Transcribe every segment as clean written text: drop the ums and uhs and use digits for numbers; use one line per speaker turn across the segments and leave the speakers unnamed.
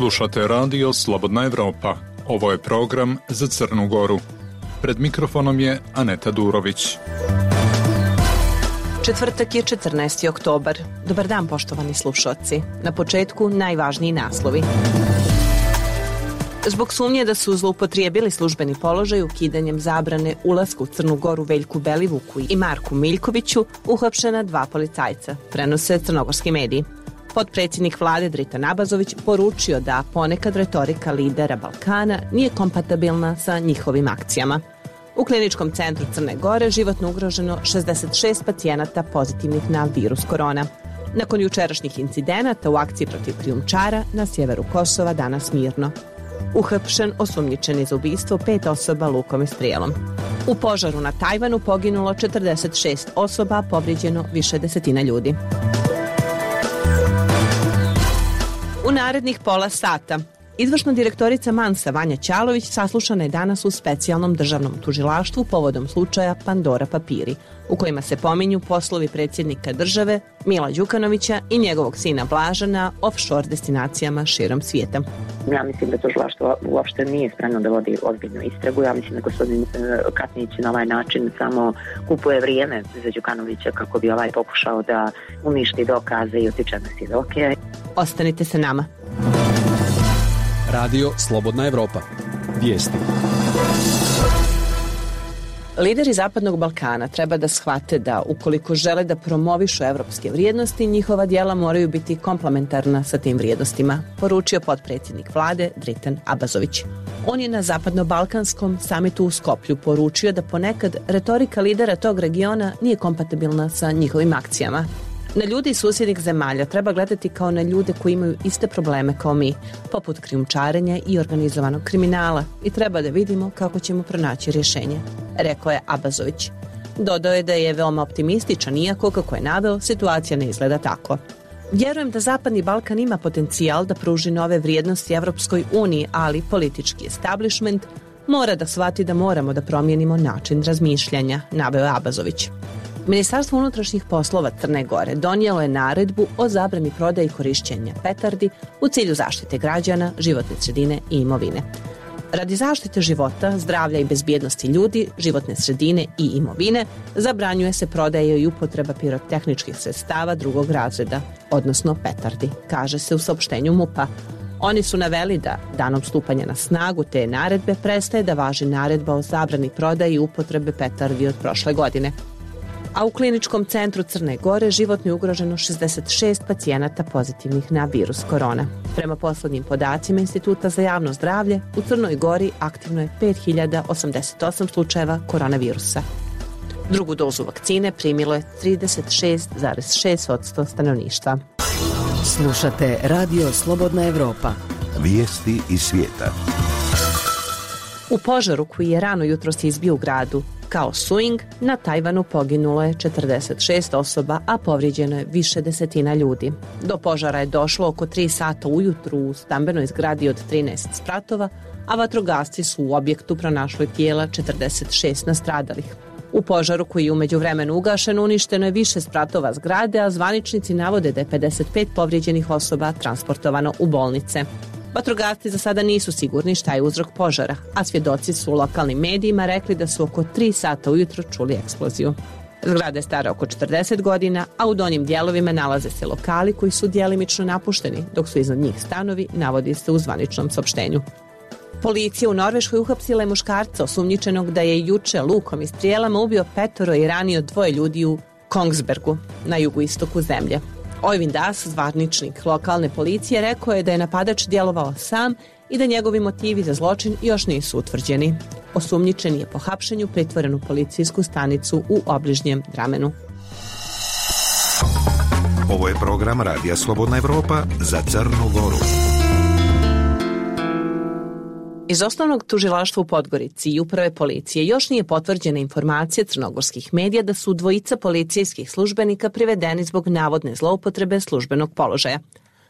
Slušate radio Slobodna Evropa. Ovo je program za Crnu Goru. Pred mikrofonom je Aneta Durović.
Četvrtak je 14. oktobar. Dobar dan, poštovani slušaoci. Na početku najvažniji naslovi. Zbog sumnje da su zloupotrijebili službeni položaj ukidanjem zabrane ulaska u Crnu Goru Veljku Belivuku i Marku Miljkoviću uhapšena 2 policajca, prenose crnogorski mediji. Potpredsjednik vlade Dritan Abazović poručio da ponekad retorika lidera Balkana nije kompatibilna sa njihovim akcijama. U kliničkom centru Crne Gore životno ugroženo 66 pacijenata pozitivnih na virus korona. Nakon jučerašnjih incidenata u akciji protiv krijumčara na sjeveru Kosova danas mirno. Uhapšen osumnjičeni za ubistvo 5 osoba lukom i strijelom. U požaru na Tajvanu poginulo 46 osoba, povrijeđeno više desetina ljudi. U narednih pola sata izvršna direktorica Mansa Vanja Ćalović saslušana je danas u specijalnom državnom tužilaštvu povodom slučaja Pandora papiri, u kojima se pominju poslovi predsjednika države Mila Đukanovića i njegovog sina Blaža na offshore destinacijama širom svijeta.
Ja mislim da tužilaštvo uopšte nije spremno da vodi ozbiljnu istragu. Ja mislim da gospodin Katnić na ovaj način samo kupuje vrijeme za Đukanovića kako bi ovaj pokušao da uništi dokaze i utiče na svjedoke.
Ostanite sa nama.
Radio Slobodna Evropa. Vijesti.
Lideri Zapadnog Balkana treba da shvate da ukoliko žele da promovišu evropske vrijednosti, njihova djela moraju biti komplementarna sa tim vrijednostima, poručio potpredsjednik vlade Dritan Abazović. On je na Zapadno-balkanskom samitu u Skoplju poručio da ponekad retorika lidera tog regiona nije kompatibilna sa njihovim akcijama. Na ljude iz susjednih zemalja treba gledati kao na ljude koji imaju iste probleme kao mi, poput krijumčarenja i organizovanog kriminala, i treba da vidimo kako ćemo pronaći rješenje, rekao je Abazović. Dodao je da je veoma optimističan, iako, kako je naveo, situacija ne izgleda tako. Vjerujem da Zapadni Balkan ima potencijal da pruži nove vrijednosti Evropskoj uniji, ali politički establishment mora da shvati da moramo da promijenimo način razmišljanja, naveo je Abazović. Ministarstvo unutrašnjih poslova Crne Gore donijelo je naredbu o zabrani prodaje i korišćenja petardi u cilju zaštite građana, životne sredine i imovine. Radi zaštite života, zdravlja i bezbjednosti ljudi, životne sredine i imovine, zabranjuje se prodaja i upotreba pirotehničkih sredstava drugog razreda, odnosno petardi, kaže se u saopštenju MUP-a. Oni su naveli da danom stupanja na snagu te naredbe prestaje da važi naredba o zabrani prodaje i upotrebe petardi od prošle godine. A u kliničkom centru Crne Gore životno je ugroženo 66 pacijenata pozitivnih na virus korona. Prema poslednjim podacima Instituta za javno zdravlje, u Crnoj Gori aktivno je 5088 slučajeva koronavirusa. Drugu dozu vakcine primilo je 36,6% stanovništva.
Slušate Radio Slobodna Evropa.
Vijesti iz svijeta.
U požaru koji je rano jutros izbio u gradu Khao Suing, na Tajvanu poginulo je 46 osoba, a povrijeđeno je više desetina ljudi. Do požara je došlo oko 3 sata ujutru u stambenoj zgradi od 13 spratova, a vatrogasci su u objektu pronašli tijela 46 nastradalih. U požaru koji je u međuvremenu ugašen uništeno je više spratova zgrade, a zvaničnici navode da je 55 povrijeđenih osoba transportovano u bolnice. Vatrogasci za sada nisu sigurni šta je uzrok požara, a svjedoci su u lokalnim medijima rekli da su oko 3 sata ujutro čuli eksploziju. Zgrada je stara oko 40 godina, a u donjim dijelovima nalaze se lokali koji su djelimično napušteni, dok su iznad njih stanovi, navodi se u zvaničnom saopštenju. Policija u Norveškoj uhapsila je muškarca osumnjičenog da je juče lukom i strijelama ubio 5 i ranio 2 ljudi u Kongsbergu, na jugoistoku zemlje. Oyvind Das, zvaničnik lokalne policije, rekao je da je napadač djelovao sam i da njegovi motivi za zločin još nisu utvrđeni. Osumnjičeni je po hapšenju pritvoren u policijsku stanicu u obližnjem Dramenu.
Ovo je program Radija Slobodna Evropa za Crnu Goru.
Iz osnovnog tužilaštva u Podgorici i uprave policije još nije potvrđena informacija crnogorskih medija da su 2 policijskih službenika privedeni zbog navodne zloupotrebe službenog položaja.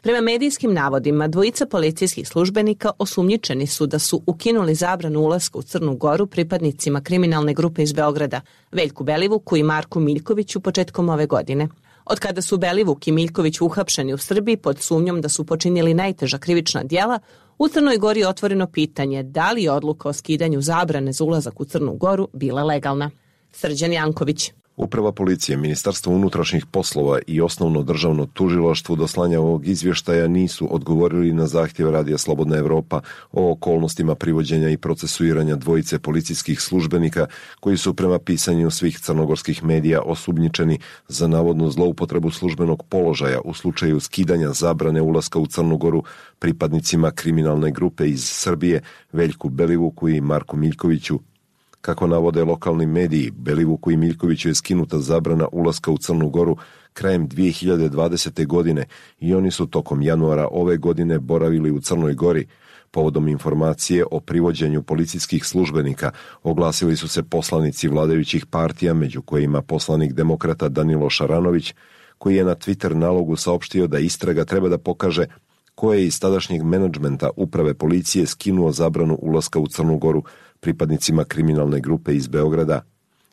Prema medijskim navodima, 2 policijskih službenika osumnjičeni su da su ukinuli zabranu ulaska u Crnu Goru pripadnicima kriminalne grupe iz Beograda, Veljku Belivuku i Marku Miljkoviću početkom ove godine. Od kada su Belivuk i Miljković uhapšeni u Srbiji pod sumnjom da su počinili najteža krivična djela, u Crnoj Gori je otvoreno pitanje da li je odluka o skidanju zabrane za ulazak u Crnu Goru bila legalna. Srđan Janković.
Uprava policije, Ministarstvo unutrašnjih poslova i Osnovno državno tužilaštvo do slanja ovog izvještaja nisu odgovorili na zahtjev Radija Slobodna Evropa o okolnostima privođenja i procesuiranja dvojice policijskih službenika koji su prema pisanju svih crnogorskih medija osumnjičeni za navodnu zloupotrebu službenog položaja u slučaju skidanja zabrane ulaska u Crnu Goru pripadnicima kriminalne grupe iz Srbije Veljku Belivuku i Marku Miljkoviću. Kako navode lokalni mediji, Belivuku i Miljkoviću je skinuta zabrana ulaska u Crnu Goru krajem 2020. godine i oni su tokom januara ove godine boravili u Crnoj Gori. Povodom informacije o privođenju policijskih službenika oglasili su se poslanici vladajućih partija, među kojima poslanik demokrata Danilo Šaranović, koji je na Twitter nalogu saopštio da istraga treba da pokaže ko je iz tadašnjeg menadžmenta uprave policije skinuo zabranu ulaska u Crnu Goru pripadnicima kriminalne grupe iz Beograda.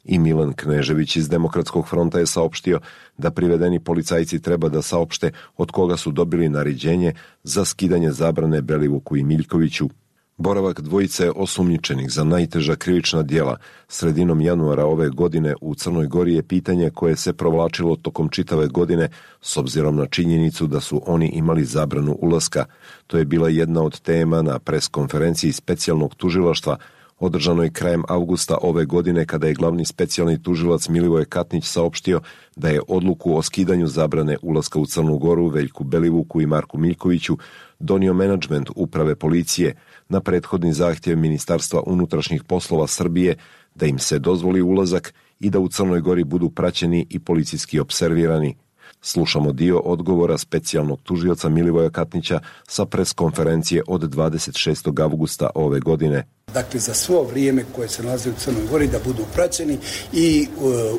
I Milan Knežević iz Demokratskog fronta je saopštio da privedeni policajci treba da saopšte od koga su dobili naređenje za skidanje zabrane Belivuku i Miljkoviću. Boravak dvojice osumnjičenih za najteža krivična djela sredinom januara ove godine u Crnoj Gori je pitanje koje se provlačilo tokom čitave godine s obzirom na činjenicu da su oni imali zabranu ulaska. To je bila jedna od tema na preskonferenciji specijalnog tužilaštva održanoj krajem avgusta ove godine kada je glavni specijalni tužilac Milivoje Katnić saopštio da je odluku o skidanju zabrane ulaska u Crnu Goru Veljku Belivuku i Marku Miljkoviću donio menadžment uprave policije na prethodni zahtjev Ministarstva unutrašnjih poslova Srbije da im se dozvoli ulazak i da u Crnoj Gori budu praćeni i policijski opservirani. Slušamo dio odgovora specijalnog tužioca Milivoja Katnića sa preskonferencije od 26. avgusta ove godine.
Dakle, za svo vrijeme koje se nalaze u Crnoj Gori da budu praćeni i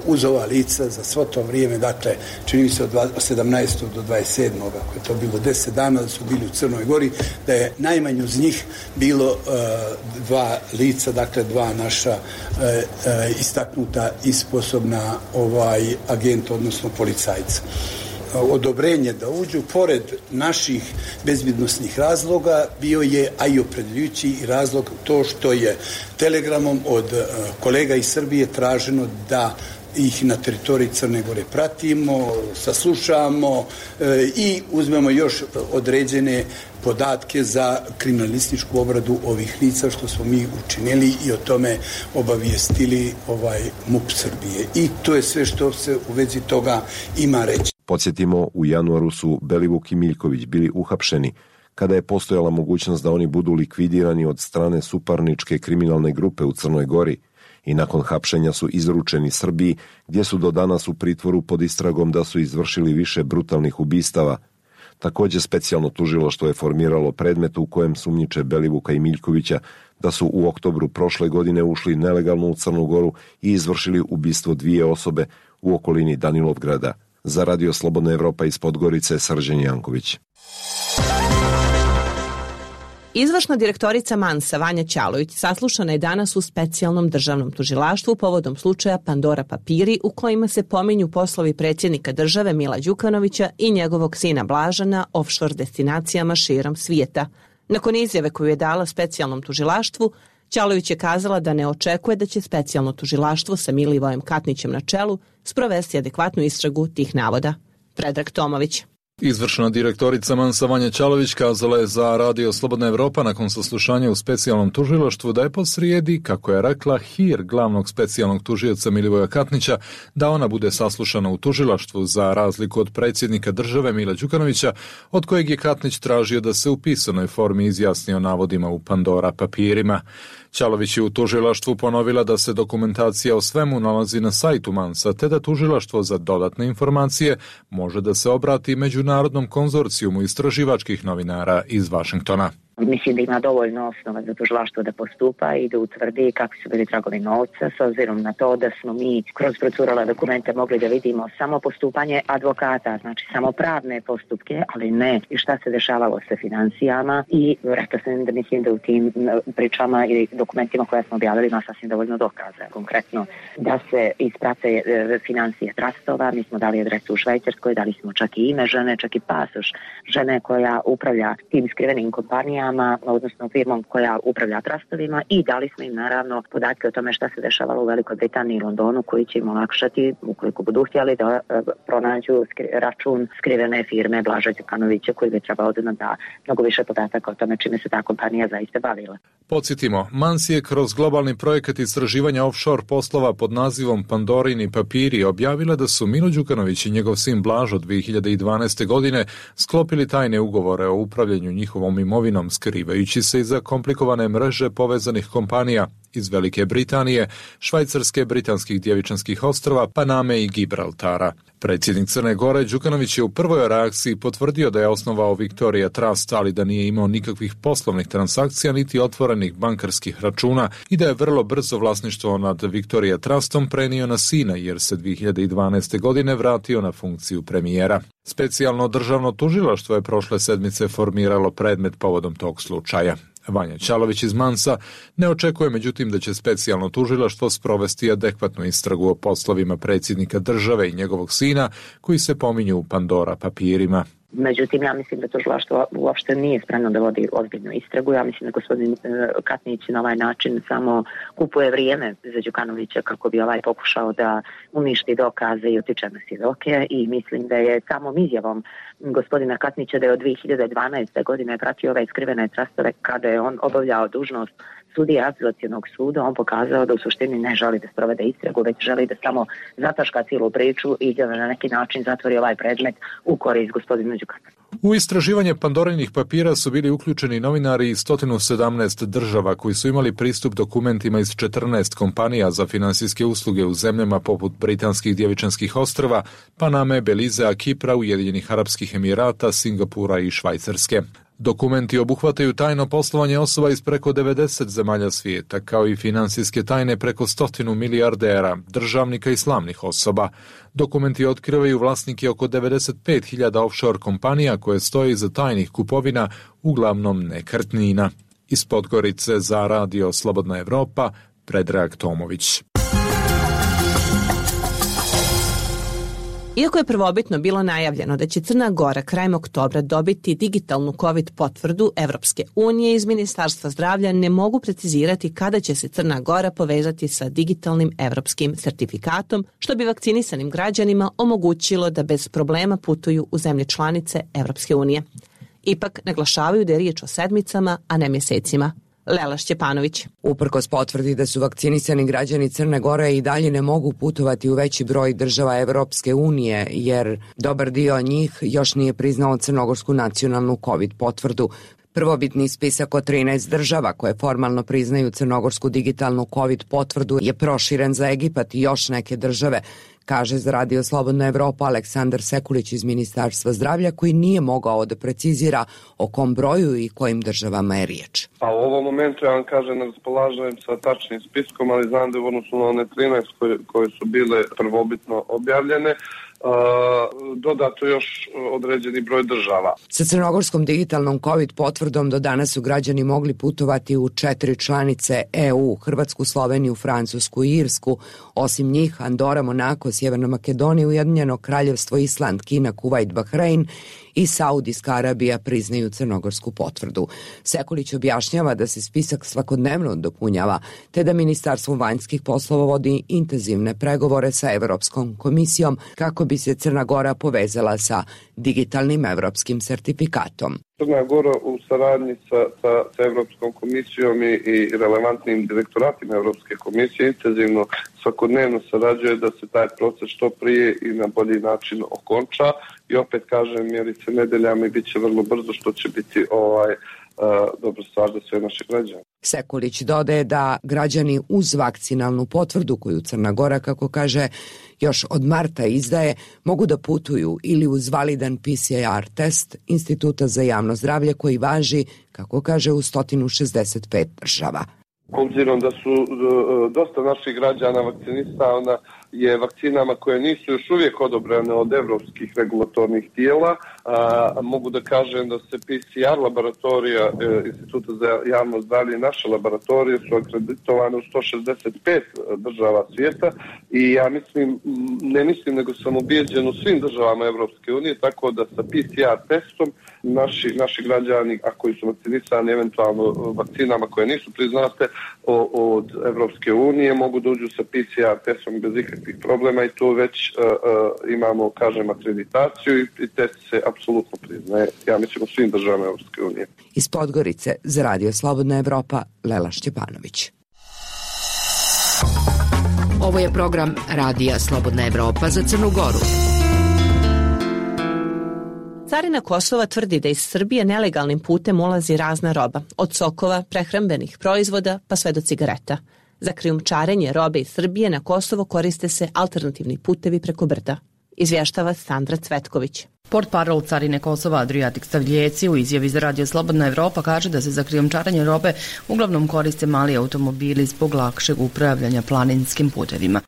uz ova lica za svo to vrijeme, dakle, čini mi se od 17. do 27. ako je to bilo 10 dana da su bili u Crnoj Gori, da je najmanje uz njih bilo dva lica, dakle, dva naša istaknuta i sposobna agenta, odnosno policajca. Odobrenje da uđu, pored naših bezbjednosnih razloga, bio je, a i opredeljujući razlog to što je telegramom od kolega iz Srbije traženo da ih na teritoriji Crne Gore pratimo, saslušamo i uzmemo još određene podatke za kriminalističku obradu ovih lica, što smo mi učinili i o tome obavijestili MUP Srbije. I to je sve što se u vezi toga ima reći.
Podsjetimo, u januaru su Belivuk i Miljković bili uhapšeni kada je postojala mogućnost da oni budu likvidirani od strane suparničke kriminalne grupe u Crnoj Gori i nakon hapšenja su izručeni Srbiji, gdje su do danas u pritvoru pod istragom da su izvršili više brutalnih ubistava. Također specijalno tužilaštvo je formiralo predmet u kojem sumnjiče Belivuka i Miljkovića da su u oktobru prošle godine ušli nelegalno u Crnu Goru i izvršili ubistvo 2 osobe u okolini Danilovgrada. Za Radio Slobodna Evropa iz Podgorice, Srđan Janković.
Izvršna direktorica Mansa Vanja Ćalović saslušana je danas u specijalnom državnom tužilaštvu povodom slučaja Pandora papiri u kojima se pominju poslovi predsjednika države Mila Đukanovića i njegovog sina Blaža na offshore destinacijama širom svijeta. Nakon izjave koju je dala specijalnom tužilaštvu, Ćalović je kazala da ne očekuje da će specijalno tužilaštvo sa Milivojem Katnićem na čelu sprovesti adekvatnu istragu tih navoda. Predrag Tomović.
Izvršna direktorica Mansa Vanja Ćalović kazala je za Radio Slobodna Evropa nakon saslušanja u specijalnom tužilaštvu da je posrijedi, kako je rekla, hir glavnog specijalnog tužioca Milivoja Katnića da ona bude saslušana u tužilaštvu za razliku od predsjednika države Mila Đukanovića, od kojeg je Katnić tražio da se u pisanoj formi izjasni o navodima u Pandora papirima. Ćalović je u tužilaštvu ponovila da se dokumentacija o svemu nalazi na sajtu Mansa, te da tužilaštvo za dodatne informacije može da se obrati Međunarodnom konzorcijumu istraživačkih novinara iz Vašingtona.
Mislim da ima dovoljno osnova za tužilaštvo da postupa i da utvrdi kakvi su bili tragovi novca, s obzirom na to da smo mi kroz procurale dokumente mogli da vidimo samo postupanje advokata, znači samo pravne postupke, ali ne i šta se dešavalo sa financijama. I rekla sam da mislim da u tim pričama i dokumentima koje smo objavili ima sasvim dovoljno dokaza. Konkretno da se isprate financije trastova, mi smo dali adresu u Švajcarskoj, dali smo čak i ime žene, čak i pasoš žene koja upravlja tim skrivenim kompanijama, odnosno firmom koja upravlja trastovima, i dali smo im naravno podatke o tome šta se dešavalo u Velikoj Britaniji i Londonu, koji će im olakšati, ukoliko budu htjeli, da pronađu račun skrivene firme Blaža Đukanovića, koji bi trebao da nam da mnogo više podataka o tome čime se ta kompanija zaista bavila.
Podsjetimo, Mans je kroz globalni projekat istraživanja offshore poslova pod nazivom Pandorini papiri objavila da su Milo Đukanović i njegov sin Blažo 2012. godine sklopili tajne ugovore o upravljanju njihovom imovinom, skrivajući se iza komplikovane mreže povezanih kompanija iz Velike Britanije, Švajcarske, Britanskih Djevičanskih ostrva, Paname i Gibraltara. Predsjednik Crne Gore Đukanović je u prvoj reakciji potvrdio da je osnovao Victoria Trust, ali da nije imao nikakvih poslovnih transakcija niti otvorenih bankarskih računa i da je vrlo brzo vlasništvo nad Victoria Trustom prenio na sina, jer se 2012. godine vratio na funkciju premijera. Specijalno državno tužilaštvo je prošle sedmice formiralo predmet povodom tog slučaja. Vanja Čalović iz Mansa ne očekuje međutim da će specijalno tužilaštvo sprovesti adekvatnu istragu o poslovima predsjednika države i njegovog sina koji se pominju u Pandora papirima.
Međutim, ja mislim da tužilaštvo uopšte nije spremno da vodi ozbiljnu istragu. Ja mislim da gospodin Katnić na ovaj način samo kupuje vrijeme za Đukanovića kako bi pokušao da uništi dokaze i utiče na svjedoke, i mislim da je samom izjavom gospodina Katnića da je od 2012. godine pratio ove skrivene trastove kada je on obavljao dužnost sudije apelacionog suda, on pokazao da u suštini ne želi da sprovede istragu, već želi da samo zataška cijelu priču i da na neki način zatvori ovaj predmet u korist gospodinu Đukanoviću.
U istraživanje Pandorinih papira su bili uključeni novinari iz 117 država koji su imali pristup dokumentima iz 14 kompanija za finansijske usluge u zemljama poput Britanskih Djevičanskih ostrva, Paname, Belizea, Kipra, Ujedinjenih Arapskih Emirata, Singapura i Švajcarske. Dokumenti obuhvataju tajno poslovanje osoba iz preko 90 zemalja svijeta, kao i finansijske tajne preko 100 milijardera, državnika i slavnih osoba. Dokumenti otkrivaju vlasnike oko 95.000 offshore kompanija koje stoje iza tajnih kupovina, uglavnom nekretnina. Iz Podgorice za Radio Slobodna Evropa, Predrag Tomović.
Iako je prvobitno bilo najavljeno da će Crna Gora krajem oktobra dobiti digitalnu COVID potvrdu Evropske unije, iz Ministarstva zdravlja ne mogu precizirati kada će se Crna Gora povezati sa digitalnim evropskim sertifikatom, što bi vakcinisanim građanima omogućilo da bez problema putuju u zemlje članice Evropske unije. Ipak naglašavaju da je riječ o sedmicama, a ne mjesecima. Lela Šćepanović.
Uprkos potvrdi da su vakcinisani građani Crne Gore i dalje ne mogu putovati u veći broj država Evropske unije, jer dobar dio njih još nije priznao crnogorsku nacionalnu COVID potvrdu. Prvobitni spisak od 13 država koje formalno priznaju crnogorsku digitalnu COVID potvrdu je proširen za Egipat i još neke države, kaže za Radio Slobodna Evropa Aleksandar Sekulić iz Ministarstva zdravlja, koji nije mogao da precizira o kom broju i kojim državama je riječ.
Pa u ovom momentu ja vam kažem, ne raspolažem sa tačnim spiskom, ali znam da u odnosu na one 13 koje su bile prvobitno objavljene, dodato još određeni broj država.
Sa crnogorskom digitalnom COVID potvrdom do danas su građani mogli putovati u 4 članice EU, Hrvatsku, Sloveniju, Francusku i Irsku. Osim njih, Andora, Monako, Sjeverna Makedonija, Ujedinjeno Kraljevstvo, Island, Kina, Kuvajt, Bahrein i Saudijska Arabija priznaju crnogorsku potvrdu. Sekulić objašnjava da se spisak svakodnevno dopunjava, te da Ministarstvo vanjskih poslova vodi intenzivne pregovore sa Evropskom komisijom kako bi se Crna Gora povezala sa digitalnim evropskim sertifikatom.
Crna Gora u saradnji sa Evropskom komisijom i relevantnim direktoratima Evropske komisije intenzivno svakodnevno sarađuje da se taj proces što prije i na bolji način okonča, i opet kažem, mjeri se nedeljama i bit će vrlo brzo, što će biti dobra stvar za sve naše građane.
Sekulić dodaje da građani uz vakcinalnu potvrdu koju Crna Gora, kako kaže, još od marta izdaje, mogu da putuju ili uz validan PCR test Instituta za javno zdravlje koji važi, kako kaže, u 165 država.
Obzirom da su dosta naših građana vakcinisana je vakcinama koje nisu još uvijek odobrene od evropskih regulatornih tijela, mogu da kažem da se PCR laboratorija Instituta za javno zdravlje i naše laboratorije su akreditovane u 165 država svijeta i ja ne mislim nego sam ubijeđen u svim državama Evropske unije, tako da sa PCR testom naši građani, a koji su vakcinisani eventualno vakcinama koje nisu priznate od Evropske unije, mogu da uđu sa PCR testom bez ikakvih problema i tu već imamo, kažem, akreditaciju i test se apsolutno priznaje, ja mislim, u svim državama Evropske unije.
Iz Podgorice za Radio Slobodna Evropa, Lela Šćepanović.
Ovo je program Radija Slobodna Evropa za Crnu Goru.
Carina Kosova tvrdi da iz Srbije nelegalnim putem ulazi razna roba, od sokova, prehrambenih proizvoda pa sve do cigareta. Za krijumčarenje robe iz Srbije na Kosovo koriste se alternativni putevi preko brda. Izvještava Sandra Cvetković.
Portparol Carine Kosova Adriatik Stavljeci u izjavi za Radio Slobodna Evropa kaže da se za krijumčarenje robe uglavnom koriste mali automobili zbog lakšeg upravljanja planinskim putevima.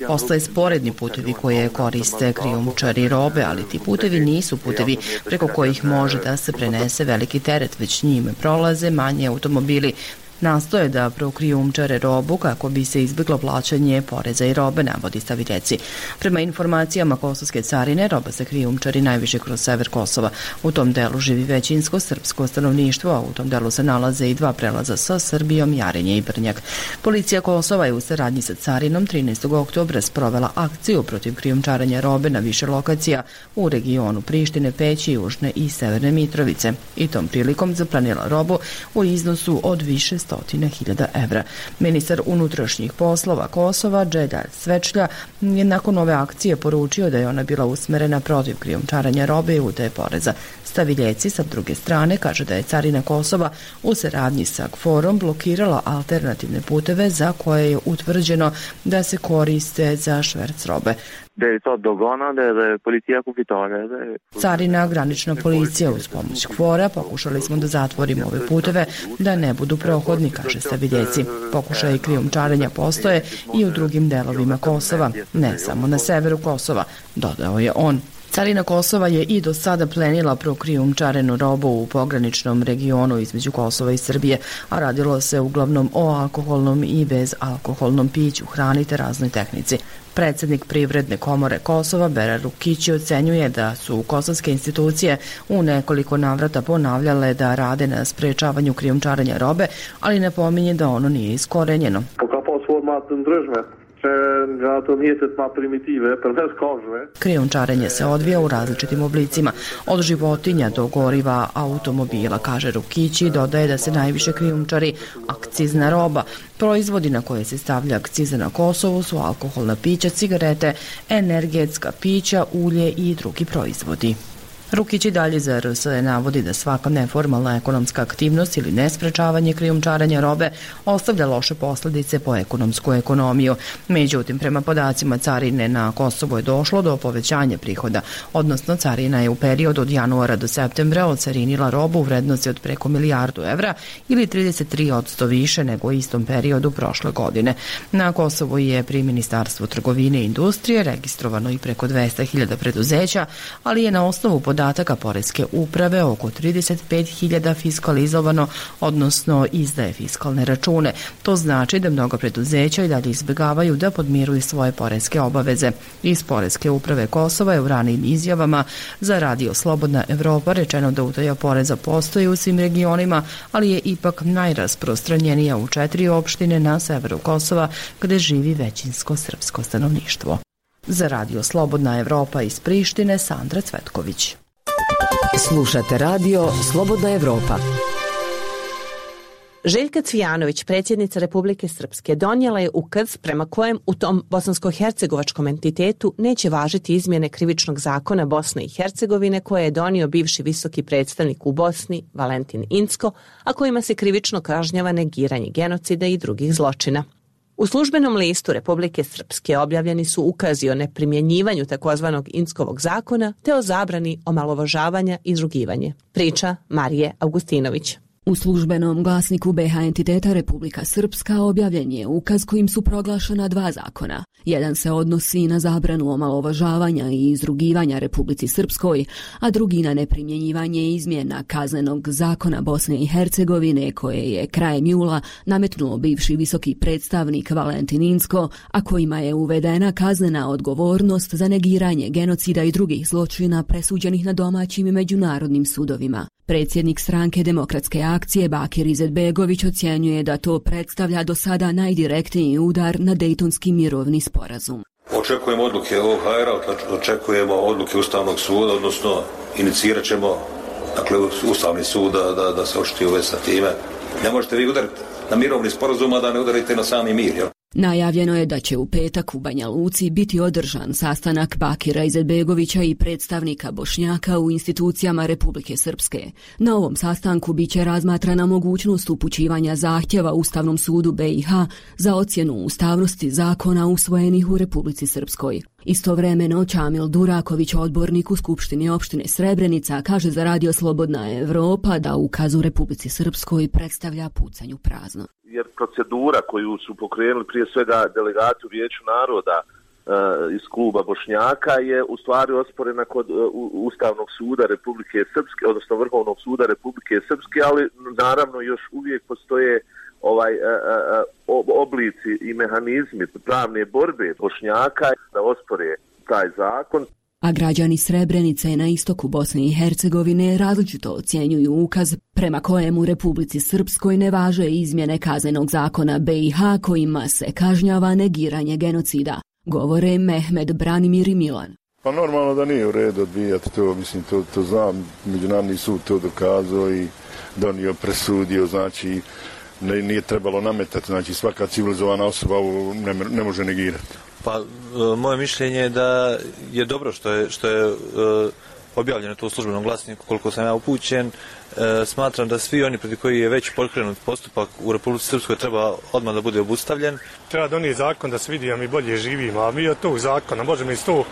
Postoje sporedni putevi koje koriste krijumčari robe, ali ti putevi nisu putevi preko kojih može da se prenese veliki teret, već njime prolaze manji automobili. Nastoje da prokrijumčare robu kako bi se izbjeglo plaćanje poreza i robe, navodi Staviljeci. Prema informacijama kosovske carine, roba se krijumčari najviše kroz sever Kosova. U tom delu živi većinsko srpsko stanovništvo, a u tom delu se nalaze i dva prelaza sa Srbijom, Jarinje i Brnjak. Policija Kosova je u saradnji sa carinom 13. oktobra sprovela akciju protiv krijumčarenja robe na više lokacija u regionu Prištine, Peći, Južne i Severne Mitrovice. I tom prilikom zaplanila robu u iznosu od više 100.000 evra. Ministar unutrašnjih poslova Kosova, Dželjal Svečlja, je nakon ove akcije poručio da je ona bila usmerena protiv krijumčarenja robe i utaje poreza. Staviljeci sa druge strane kaže da je carina Kosova u saradnji sa KFOR-om blokirala alternativne puteve za koje je utvrđeno da se koriste za šverc robe. Carina, granična policija uz pomoć KFOR-a pokušali smo da zatvorimo ove puteve da ne budu prohodni, kaže Staviljeci. Pokušaji krijumčarenja postoje i u drugim delovima Kosova, ne samo na severu Kosova, dodao je on. Carina Kosova je i do sada plenila prokrijumčarenu robu u pograničnom regionu između Kosova i Srbije, a radilo se uglavnom o alkoholnom i bezalkoholnom piću, hrani te raznoj tehnici. Predsjednik Privredne komore Kosova, Bera Rukići, ocenjuje da su kosovske institucije u nekoliko navrata ponavljale da rade na sprečavanju krijumčarenja robe, ali napominje da ono nije iskorenjeno. Krijumčarenje se odvija u različitim oblicima, od životinja do goriva automobila, kaže Rukići, dodaje da se najviše krijumčari akcizna roba. Proizvodi na koje se stavlja akciza na Kosovu su alkoholna pića, cigarete, energetska pića, ulje i drugi proizvodi. Rukić i dalje za RSE navodi da svaka neformalna ekonomska aktivnost ili nesprečavanje krijumčarenja robe ostavlja loše posljedice po ekonomsku ekonomiju. Međutim, prema podacima carine na Kosovo je došlo do povećanja prihoda, odnosno carina je u periodu od januara do septembra ocarinila robu u vrednosti od preko 1 milijardu evra ili 33% više nego u istom periodu prošle godine. Na Kosovu je pri Ministarstvu trgovine i industrije registrovano i preko 200.000 preduzeća, ali je na osnovu podataka Poreske uprave oko 35.000 fiskalizovano, odnosno izdaje fiskalne račune. To znači da mnogo preduzeća i dalje izbjegavaju da podmiruju svoje poreske obaveze. Iz Poreske uprave Kosova je u ranijim izjavama za Radio Slobodna Evropa rečeno da utaja poreza postoji u svim regionima, ali je ipak najrasprostranjenija u 4 opštine na severu Kosova gde živi većinsko srpsko stanovništvo. Za Radio Slobodna Evropa iz Prištine, Sandra Cvetković.
Slušate Radio Slobodna Evropa.
Željka Cvijanović, predsjednica Republike Srpske, donijela je ukaz prema kojem u tom bosansko-hercegovačkom entitetu neće važiti izmjene krivičnog zakona Bosne i Hercegovine koje je donio bivši visoki predstavnik u Bosni, Valentin Incko, a kojima se krivično kažnjava negiranje genocida i drugih zločina. U službenom listu Republike Srpske objavljeni su ukazi o neprimjenjivanju takozvanog Inckovog zakona te o zabrani omalovažavanja i izrugivanje. Priča Marije Augustinović.
U službenom glasniku BiH entiteta Republika Srpska objavljen je ukaz kojim su proglašena 2 zakona. Jedan se odnosi na zabranu omalovažavanja i izrugivanja Republici Srpskoj, a drugi na neprimjenjivanje izmjena kaznenog zakona Bosne i Hercegovine koje je krajem jula nametnuo bivši visoki predstavnik Valentin Incko, a kojima je uvedena kaznena odgovornost za negiranje genocida i drugih zločina presuđenih na domaćim i međunarodnim sudovima. Predsjednik stranke Demokratske akcije Bakir Izetbegović ocjenjuje da to predstavlja do sada najdirektniji udar na Dejtonski mirovni sporazum.
Očekujemo odluke OHR-a, očekujemo odluke Ustavnog suda, odnosno inicirat ćemo Ustavni sud da se očiti u vezi sa time. Ne možete vi udariti na mirovni sporazum, a da ne udarite na sami mir, jel?
Najavljeno je da će u petak u Banja Luci biti održan sastanak Bakira Izetbegovića i predstavnika Bošnjaka u institucijama Republike Srpske. Na ovom sastanku biće razmatrana mogućnost upućivanja zahtjeva Ustavnom sudu BiH za ocjenu ustavnosti zakona usvojenih u Republici Srpskoj. Istovremeno, Čamil Duraković, odbornik u Skupštini opštine Srebrenica, kaže za Radio Slobodna Evropa da ukaz u Republici Srpskoj predstavlja pucanj u prazno.
Jer procedura koju su pokrenuli prije svega delegati u Vijeću naroda iz kluba Bošnjaka je u stvari osporena kod Ustavnog suda Republike Srpske, odnosno Vrhovnog suda Republike Srpske, ali naravno još uvijek postoje oblici i mehanizmi pravne borbe Bošnjaka da ospore taj zakon.
A građani Srebrenice na istoku Bosne i Hercegovine različito ocjenjuju ukaz prema kojem u Republici Srpskoj ne važe izmjene kaznenog zakona BiH kojima se kažnjava negiranje genocida. Govore Mehmed, Branimir i Milan.
Pa normalno da nije u redu odbijati to, mislim to znam, Međunarodni sud to dokazao i donio, presudio, znači nije trebalo nametati, znači svaka civilizovana osoba ne može negirati.
Pa moje mišljenje je da je dobro što je objavljeno to u službenom glasniku, koliko sam ja upućen. Smatram da svi oni protiv koji je već pokrenut postupak u Republici Srpskoj treba odmah da bude obustavljen.
Treba donijeti zakon da se vidi da mi bolje živimo, a mi od tog zakona možemo iz to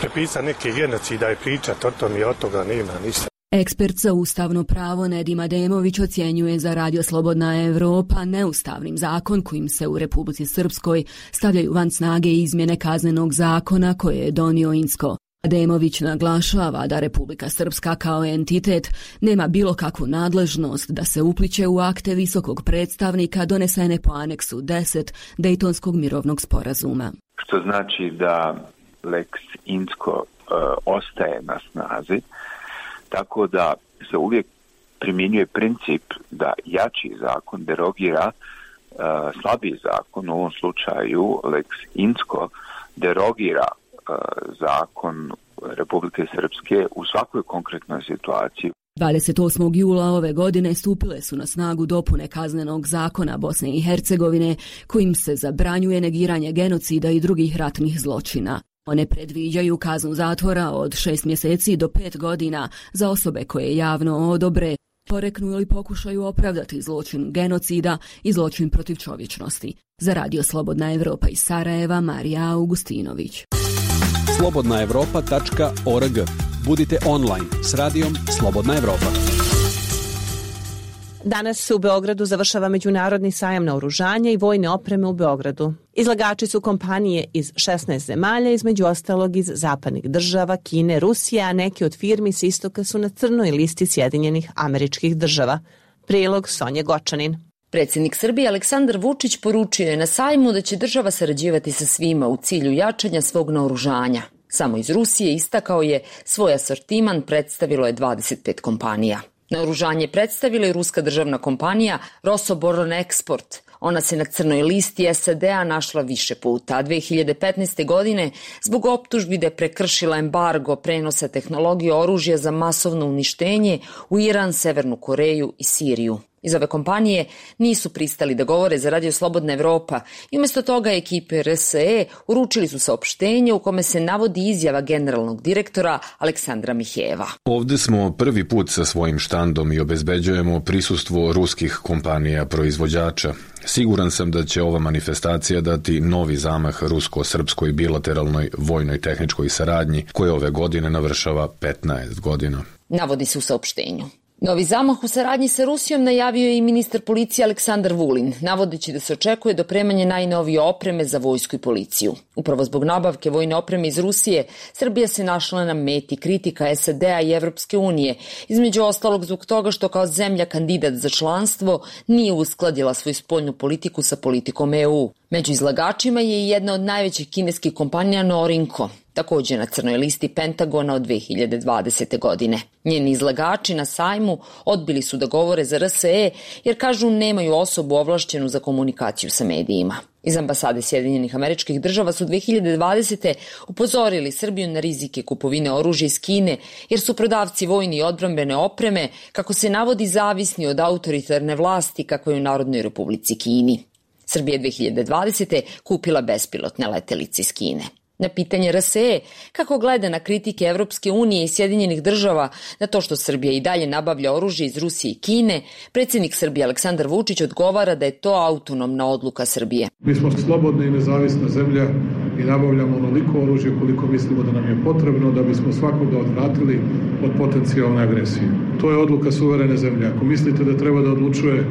prepisati neke genocida i pričati o tom i od toga nema ništa.
Ekspert za ustavno pravo Nedim Ademović ocjenjuje za Radio Slobodna Evropa neustavnim zakon kojim se u Republici Srpskoj stavljaju van snage izmjene kaznenog zakona koje je donio Incko. Ademović naglašava da Republika Srpska kao entitet nema bilo kakvu nadležnost da se upliće u akte visokog predstavnika donesene po aneksu 10 Dejtonskog mirovnog sporazuma.
Što znači da Lex Incko ostaje na snazi, tako da se uvijek primjenjuje princip da jači zakon derogira slabiji zakon, u ovom slučaju Lex Incko derogira zakon Republike Srpske u svakoj konkretnoj situaciji.
28. jula ove godine stupile su na snagu dopune kaznenog zakona Bosne i Hercegovine kojim se zabranjuje negiranje genocida i drugih ratnih zločina. One predviđaju kaznu zatvora od 6 mjeseci do 5 godina za osobe koje javno odobre, poreknu ili pokušaju opravdati zločin genocida i zločin protiv čovječnosti. Za Radio Slobodna Evropa iz Sarajeva, Marija Augustinović.
slobodnaevropa.org. Budite online s radijom Slobodna Evropa.
Danas se u Beogradu završava Međunarodni sajam naoružanja i vojne opreme u Beogradu. Izlagači su kompanije iz 16 zemalja, između ostalog iz zapadnih država, Kine, Rusije, a neki od firmi s istoka su na crnoj listi Sjedinjenih Američkih Država. Prilog Sonje Gočanin.
Predsjednik Srbije Aleksandar Vučić poručio je na sajmu da će država sarađivati sa svima u cilju jačanja svog naoružanja. Samo iz Rusije, istakao je, svoj asortiman predstavilo je 25 kompanija. Naoružanje predstavila je ruska državna kompanija Rosoboronexport. Ona se na crnoj listi SAD-a našla više puta, a 2015. godine zbog optužbi da je prekršila embargo prenosa tehnologije oružja za masovno uništenje u Iran, Severnu Koreju i Siriju. Iz ove kompanije nisu pristali da govore za Radio Slobodna Evropa i umjesto toga ekipe RSE uručili su saopštenje u kome se navodi izjava generalnog direktora Aleksandra Mihejeva.
Ovde smo prvi put sa svojim štandom i obezbeđujemo prisustvo ruskih kompanija proizvođača. Siguran sam da će ova manifestacija dati novi zamah rusko-srpskoj bilateralnoj vojnoj tehničkoj saradnji koja ove godine navršava 15 godina.
Navodi se u saopštenju. Novi zamah u saradnji sa Rusijom najavio je i ministar policije Aleksandar Vulin, navodeći da se očekuje dopremanje najnovije opreme za vojsku i policiju. Upravo zbog nabavke vojne opreme iz Rusije, Srbija se našla na meti kritika SAD-a i Evropske unije, između ostalog zbog toga što kao zemlja kandidat za članstvo nije uskladila svoju spoljnu politiku sa politikom EU. Među izlagačima je i jedna od najvećih kineskih kompanija Norinco, također na crnoj listi Pentagona od 2020. godine. Njeni izlagači na sajmu odbili su da govore za RSE jer kažu nemaju osobu ovlašćenu za komunikaciju sa medijima. Iz ambasade Sjedinjenih Američkih Država su 2020. upozorili Srbiju na rizike kupovine oružja iz Kine jer su prodavci vojne i odbrambene opreme, kako se navodi, zavisni od autoritarne vlasti kakva je u Narodnoj Republici Kini. Srbija je 2020. kupila bespilotne letelice iz Kine. Na pitanje RSE kako gleda na kritike Evropske unije i Sjedinjenih Država na to što Srbija i dalje nabavlja oružje iz Rusije i Kine, predsjednik Srbije Aleksandar Vučić odgovara da je to autonomna odluka Srbije.
Mi smo slobodna i nezavisna zemlja i nabavljamo onoliko oružje koliko mislimo da nam je potrebno da bismo svakoga odvratili od potencijalne agresije. To je odluka suverene zemlje. Ako mislite da treba da odlučuje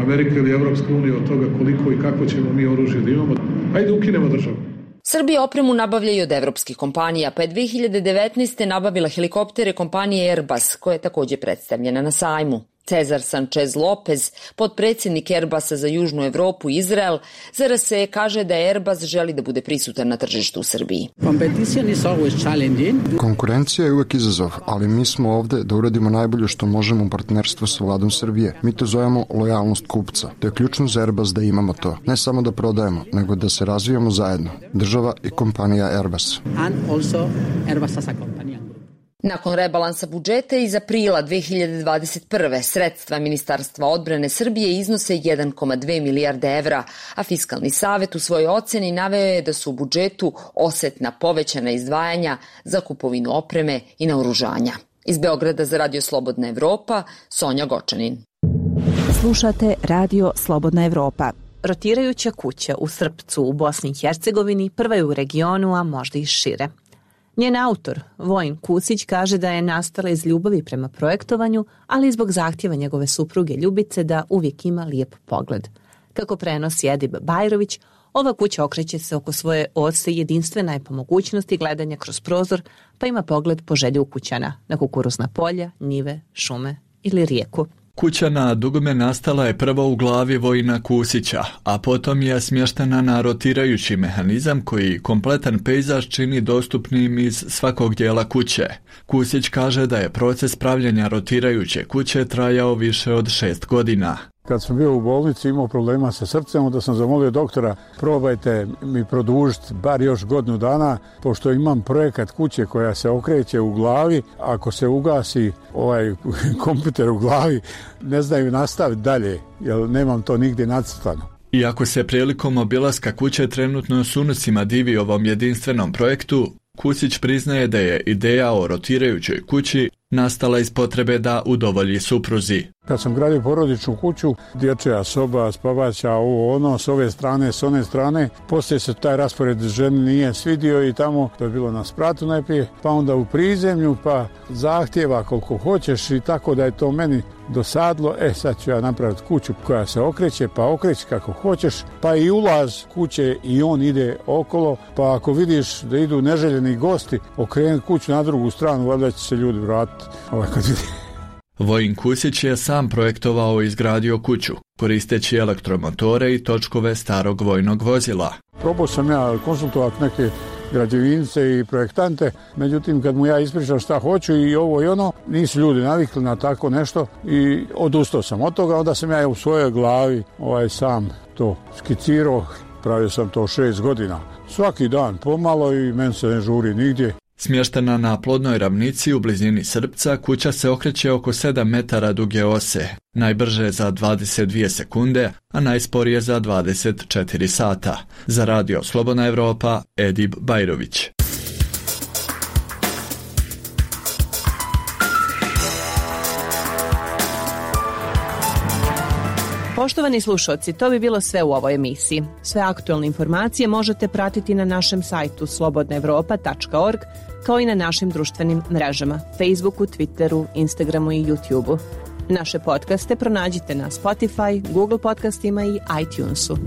Amerika ili Evropska unija od toga koliko i kako ćemo mi oružje da imamo, ajde ukinemo državu.
Srbija opremu nabavlja i od evropskih kompanija, pa je 2019. nabavila helikoptere kompanije Airbus, koja je također predstavljena na sajmu. Cezar Sanchez Lopez, potpredsjednik Airbusa za Južnu Evropu i Izrael, za RSE kaže da Airbus želi da bude prisutan na tržištu u Srbiji.
Konkurencija je uvek izazov, ali mi smo ovde da uradimo najbolje što možemo u partnerstvu sa vladom Srbije. Mi to zovemo lojalnost kupca. To je ključno za Airbus da imamo to. Ne samo da prodajemo, nego da se razvijamo zajedno. Država i kompanija Airbus.
Nakon rebalansa budžeta iz aprila 2021. sredstva Ministarstva odbrane Srbije iznose 1,2 milijarde evra, a Fiskalni savet u svojoj oceni naveo je da su u budžetu osetna povećana izdvajanja za kupovinu opreme i naoružanja. Iz Beograda za Radio Slobodna Evropa, Sonja Gočanin.
Slušate Radio Slobodna Evropa. Rotirajuća kuća u Srpcu u Bosni i Hercegovini prva je u regionu, a možda i šire. Njen autor, Vojin Kusić, kaže da je nastala iz ljubavi prema projektovanju, ali i zbog zahtjeva njegove supruge Ljubice da uvijek ima lijep pogled. Kako prenosi Edib Bajrović, ova kuća okreće se oko svoje oce i jedinstvena je po mogućnosti gledanja kroz prozor, pa ima pogled po želju ukućana na kukuruzna polja, njive, šume ili rijeku.
Kuća na dugme nastala je prvo u glavi Vojina Kusića, a potom je smještena na rotirajući mehanizam koji kompletan pejzaž čini dostupnim iz svakog dijela kuće. Kusić kaže da je proces pravljenja rotirajuće kuće trajao više od 6 godina.
Kad sam bio u bolnici imao problema sa srcem, onda sam zamolio doktora, probajte mi produžiti bar još godinu dana, pošto imam projekat kuće koja se okreće u glavi. Ako se ugasi ovaj kompjuter u glavi, ne znaju nastaviti dalje, jer nemam to nigdje nacrtano.
Iako se prilikom obilaska kuće trenutno s unucima divi ovom jedinstvenom projektu, Kusić priznaje da je ideja o rotirajućoj kući nastala iz potrebe da udovolji supruzi.
Kad sam gradio porodičnu kuću, dječja soba, spavaća, ovo ono, s ove strane, s one strane, poslije se taj raspored ženi nije svidio i tamo, to je bilo na spratu najprije, pa onda u prizemlju, pa zahtjeva koliko hoćeš i tako da je to meni dosadlo. Sad ću ja napraviti kuću koja se okreće, pa okreći kako hoćeš, pa i ulaz kuće i on ide okolo, pa ako vidiš da idu neželjeni gosti, okrenuti kuću na drugu stranu, valjda će se ljudi vratiti kad vidi.
Vojin Kusić je sam projektovao i izgradio kuću, koristeći elektromotore i točkove starog vojnog vozila.
Probao sam ja konsultovati neke građevince i projektante, međutim kad mu ja ispričao šta hoću i ovo i ono, nisu ljudi navikli na tako nešto i odustao sam od toga. Onda sam ja u svojoj glavi sam to skicirao, pravio sam to 6 godina. Svaki dan pomalo i meni se ne žuri nigdje.
Smještena na plodnoj ravnici u blizini Srpca, kuća se okreće oko 7 metara duge ose, najbrže za 22 sekunde, a najsporije za 24 sata. Za Radio Slobodna Evropa, Edib Bajrović.
Poštovani slušalci, to bi bilo sve u ovoj emisiji. Sve aktualne informacije možete pratiti na našem sajtu slobodnaevropa.org, kao i na našim društvenim mrežama, Facebooku, Twitteru, Instagramu i YouTubeu. Naše podcaste pronađite na Spotify, Google podcastima i iTunesu.